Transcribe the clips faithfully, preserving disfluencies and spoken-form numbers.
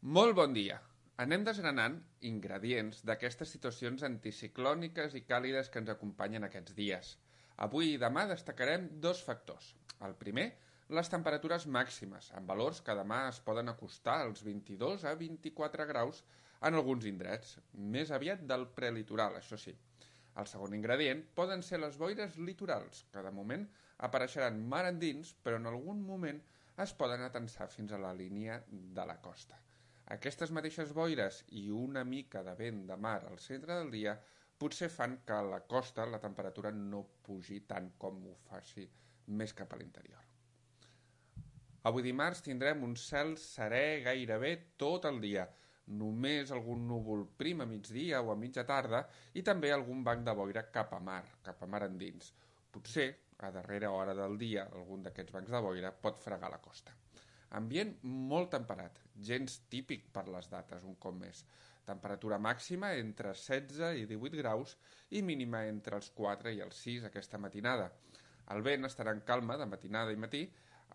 Molt bon dia! Anem desgranant ingredients d'aquestes situacions anticiclòniques i càlides que ens acompanyen aquests dies. Avui i demà destacarem dos factors. El primer, les temperatures màximes, amb valors que demà es poden acostar als vint-i-dos a vint-i-quatre graus en alguns indrets, més aviat del prelitoral, això sí. El segon ingredient poden ser les boires litorals, que de moment apareixeran mar endins, però en algun moment es poden atensar fins a la línia de la costa. Aquestes mateixes boires i una mica de vent de mar al centre del dia potser fan que a la costa la temperatura no pugi tant com ho faci més cap a l'interior. Avui dimarts tindrem un cel serè gairebé tot el dia, només algun núvol prim a migdia o a mitja tarda i també algun banc de boira cap a mar, cap a mar endins. Potser, a darrera hora del dia, algun d'aquests bancs de boira pot fregar la costa. Ambient molt temperat, gens típic per les dates, un cop més. Temperatura màxima entre setze i divuit graus i mínima entre els quatre i els sis aquesta matinada. El vent estarà en calma de matinada i matí,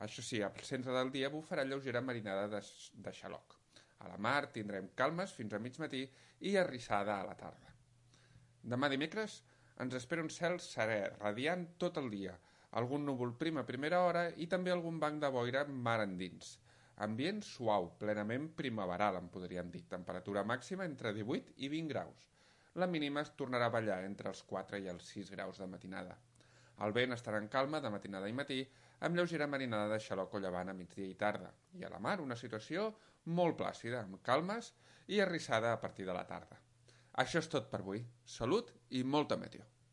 això sí, al centre del dia bufarà lleugera marinada de, de xaloc. A la mar tindrem calmes fins a mig matí i arrissada a la tarda. Demà dimecres ens espera un cel serè, radiant tot el dia, algun núvol prim a primera hora i també algun banc de boira mar endins. Ambient suau, plenament primaveral, en podríem dir. Temperatura màxima entre divuit i vint graus. La mínima es tornarà a ballar entre els quatre i els sis graus de matinada. El vent estarà en calma de matinada i matí, amb lleugera marinada de xaloc o llevant a migdia i tarda. I a la mar una situació molt plàcida, amb calmes i arrissada a partir de la tarda. Això és tot per avui. Salut i molta meteo.